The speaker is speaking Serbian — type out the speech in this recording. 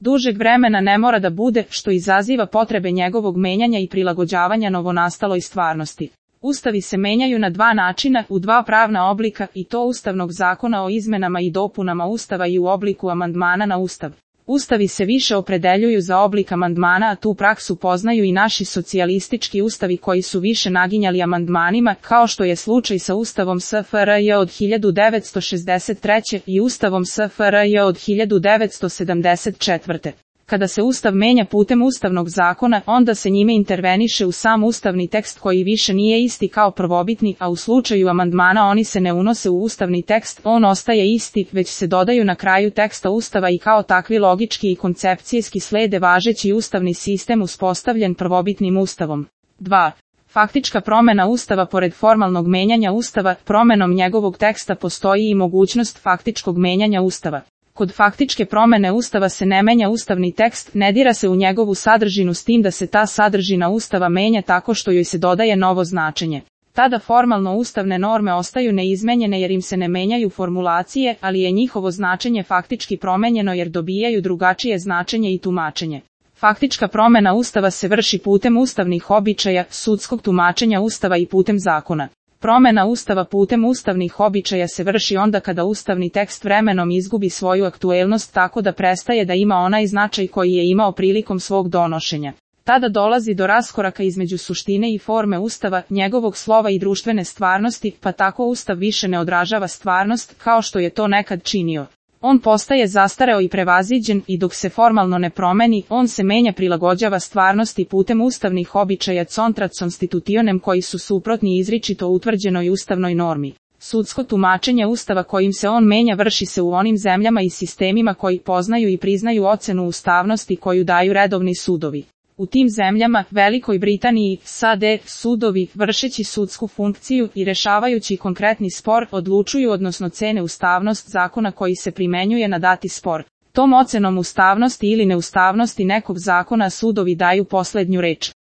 dužeg vremena ne mora da bude, što izaziva potrebe njegovog menjanja i prilagođavanja novonastaloj stvarnosti. Ustavi se menjaju na dva načina, u dva pravna oblika, i to Ustavnog zakona o izmenama i dopunama Ustava i u obliku amandmana na Ustav. Ustavi se više opredeljuju za oblik amandmana, a tu praksu poznaju i naši socijalistički ustavi koji su više naginjali amandmanima, kao što je slučaj sa Ustavom SFRJ od 1963. i Ustavom SFRJ od 1974. Kada se Ustav menja putem Ustavnog zakona, onda se njime interveniše u sam ustavni tekst koji više nije isti kao prvobitni, a u slučaju amandmana oni se ne unose u ustavni tekst, on ostaje isti, već se dodaju na kraju teksta Ustava i kao takvi logički i koncepcijski slede važeći ustavni sistem uspostavljen prvobitnim Ustavom. 2. Faktička promjena Ustava. Pored formalnog menjanja Ustava, promjenom njegovog teksta postoji i mogućnost faktičkog menjanja Ustava. Kod faktičke promjene Ustava se ne menja ustavni tekst, ne dira se u njegovu sadržinu s tim da se ta sadržina Ustava menja tako što joj se dodaje novo značenje. Tada formalno ustavne norme ostaju neizmenjene jer im se ne menjaju formulacije, ali je njihovo značenje faktički promenjeno jer dobijaju drugačije značenje i tumačenje. Faktička promjena Ustava se vrši putem ustavnih običaja, sudskog tumačenja Ustava i putem zakona. Promjena Ustava putem ustavnih običaja se vrši onda kada ustavni tekst vremenom izgubi svoju aktuelnost tako da prestaje da ima onaj značaj koji je imao prilikom svog donošenja. Tada dolazi do raskoraka između suštine i forme Ustava, njegovog slova i društvene stvarnosti, pa tako Ustav više ne odražava stvarnost kao što je to nekad činio. On postaje zastareo i prevaziđen i dok se formalno ne promeni, on se menja, prilagođava stvarnosti putem ustavnih običaja contra constitutionem koji su suprotni izričito utvrđenoj ustavnoj normi. Sudsko tumačenje Ustava kojim se on menja vrši se u onim zemljama i sistemima koji poznaju i priznaju ocenu ustavnosti koju daju redovni sudovi. U tim zemljama, Velikoj Britaniji, SAD, sudovi, vršeći sudsku funkciju i rešavajući konkretni spor, odlučuju odnosno cene ustavnost zakona koji se primenjuje na dati spor. Tom ocenom ustavnosti ili neustavnosti nekog zakona sudovi daju poslednju reč.